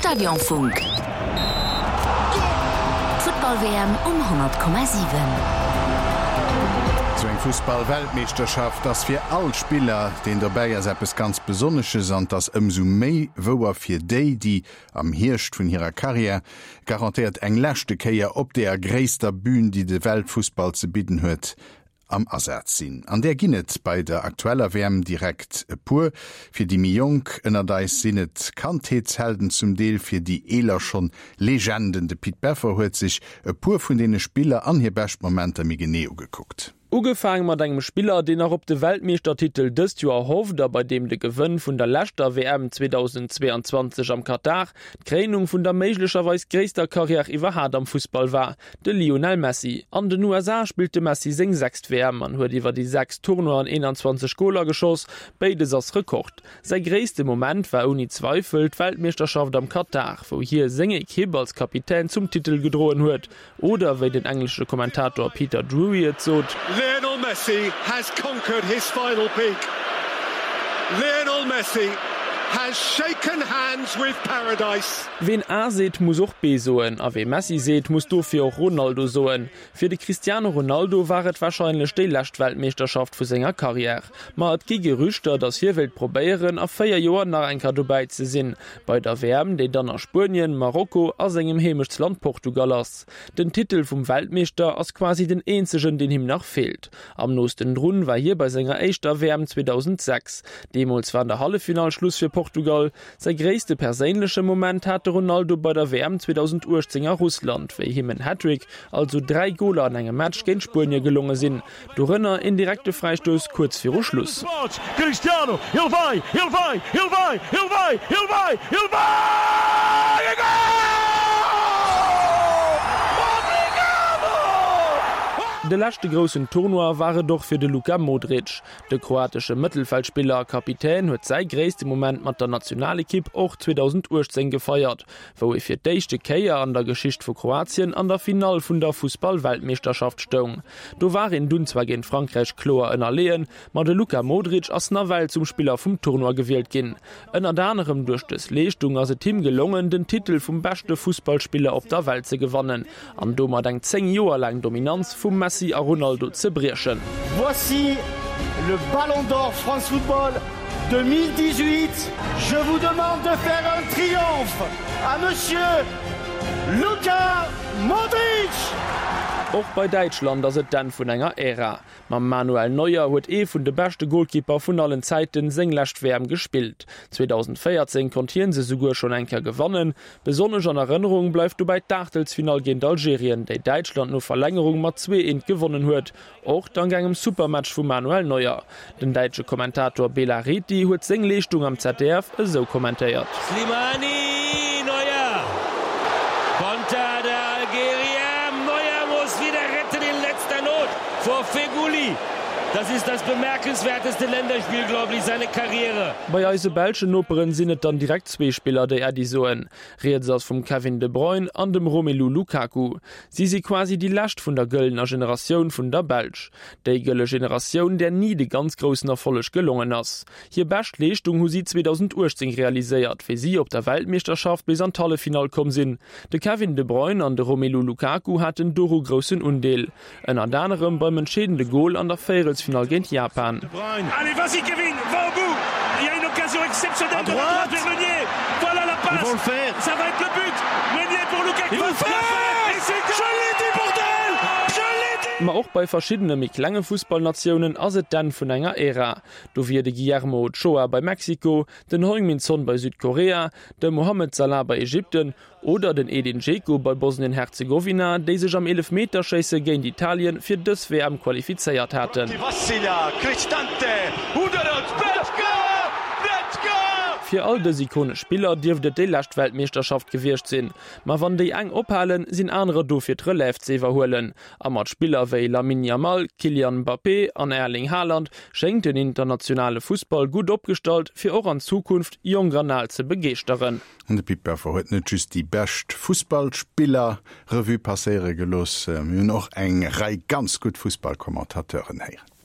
Stadionfunk. D'Futtball-WM um 100,7. Sou eng Fussball-Weltmeeschterschaft ass fir all Spiller, deen dobäi ass, eppes ganz Besonnesches an 't ass ëmsou méi wouer fir déi, déi am Hierscht vun hirer Karriär garantéiert eng leschte Kéier op deeër gréisster Bün, déi de Weltfussball ze bidden huet, am Asaz sinn. An där ginn et bei der aktueller WM direkt e puer. Fir déi méi Jonk ënnert eis sinn et Kandheetshelden, zum Deel fir déi Eeler schonn Legenden. De Pit Beffer huet sech e puer vun deene Spiller an hir bescht Momenter méi genee ugekuckt. Ugefaang mat engem Spiller, deen nach op de Weltmeeschtertitel dëst Joer hofft a bei deem de Gewënn vun der leschter WM 2022 am Katar d'Kréinung vun der méiglecherweis gréisster Karriär iwwerhaat am Fussball war, De Lionel Messi. An den USA spillt de Messi seng sechst WM an huet iwwer déi 6 Tournoien 21 Goler geschoss, béides ass Rekord. Säi gréisste Moment war ouni Zweifel d'Weltmeeschterschaft am Katar, wou hie seng Ekipp als Kapitän zum Titel gedroen huet, oder wéi den englesche Kommentator Peter Drury et sot. Lionel Messi has conquered his final peak. Lionel Messi has shaken hands with paradise. Ween A seet, muss och B soen. A wee Messi seet, muss dofir och Ronaldo soen. Fir de Cristiano Ronaldo war et warscheinlech déi lescht Weltmeeschterschaft vu senger Karriär. Ma et gi Gerüchter, datt hie wéilt probéieren, a 4 Joer nach eng Kéier dobäi ze sinn, bei der WM, déi dann a Spuenien, Marokko a sengem Heemechtsland Portugal ass. Den Titel vum Weltmeeschter ass quasi den eenzegen, deen him nach feelt. Am noosten drun war hie bei senger éischter WM 2006. Deemools war an der Halleffinall Schluss fir Portugal. Säi gréisste perséinleche Moment hat de Ronaldo bei der WM 2018 a Russland, wéi him en Hattrick, also 3 Goler an engem Match, géint Spuenie gelonge sinn, dorënner een direkte Fräistouss kuerz viru Schluss. De leschte groussen Tournoi war et och fir de Luka Modric. De kroatesche Mëttelfeldspiller a Kapitän huet säi gréisste Moment mat der Nationalekipp och 2018 gefeiert, wou e fir d'éischte Kéier an der Geschicht vu Kroatien an der Finall vun der Fussball-Weltmeeschterschaft stoung. Do war een dunn zwar géint Frankräich kloer ënnerleeën, ma de Luka Modric ass nawell zum Spiller vum Tournoi gewielt ginn. Ënnert anerem duerch dës Leeschtung ass et him gelongen, den Titel vum beschte Fussballspiller op der Welt ze gewannen an domat eng 10 Joer laang Dominanz vum Messi a Ronaldo ze briechen. Voici le Ballon d'Or France Football 2018. Je vous demande de faire un triomphe à Monsieur Luka Modric! Och bei Däitschland ass et d'Enn vun enger Ära. Mam Manuel Neuer huet ee vun de beschte Golkipper vun allen Zäiten seng lescht WM gespillt. 2014 konnt hien se souguer schonn eng Kéier gewannen. Besonnesch an Erënnerung bleift dobäi d'Aachtelsfinall géint Algerien, déi Däitschland no Verlängerung mat 2, 1 gewonnen huet, och dank engem Supermatch vum Manuel Neuer. Den däitsche Kommentator Bela Rethy huet seng Leeschtung am ZDF esou kommentéiert. Slimani, Neuer, Konter der Algerier, Neuer muss wieder retten in letzter Not vor Feghouli. Das ist das bemerkenswerteste Länderspiel, glaube ich, seiner Karriere. Bei eise belschen Noperen sinn et dann direkt zwee Spiller, déi Äddi soen. Rieds ass vum Kevin De Bruyne an dem Romelu Lukaku. Si si quasi déi lescht vun der gëllener Generatioun vun der Belsch. Déi gëlle Generatioun, där ni de ganz groussen Erfolleg gelongen ass. Hir bescht Leeschtung hu si 2018 realiséiert, wéi si op der Weltmeeschterschaft bis an d'Halleffinall komm sinn. De Kevin De Bruyne an de Romelu Lukaku haten doru groussen Undeel. Ënnert anerem beim entscheedende Gol an der Véierelsfinall géint Japan. Ma och bei verschiddene méi klenge Fussballnatiounen ass et d'Enn vun enger Ära. Do wier de Guillermo Ochoa bei Mexiko, den Heung-Min Son bei Südkorea, de Mohamed Salah bei Ägypten Oder den Edin Dzeko bei Bosnien-Herzegowina, déi sech am Eelefmeterschéisse géint Italien fir dës WM qualifizéiert haten. Fir all dës ikonesch Spiller dierft et déi lescht Weltmeeschterschaft gewiescht sinn. Ma wann déi eng ophalen, sinn anerer do fir d'Relève ze iwwerhuelen. A mat Spiller wéi Lamine Yamal, Kylian Mbappé an Erling Haaland schéngt den internationale Fussball gutt opgestallt, fir och an Zukunft Jonk an Al ze begeeschteren. An de Pit Beffer huet net just déi bescht Fussballspiller Revue passéiere gelooss, mir hunn och eng Rei ganz gutt Fussballkommentateuren héieren.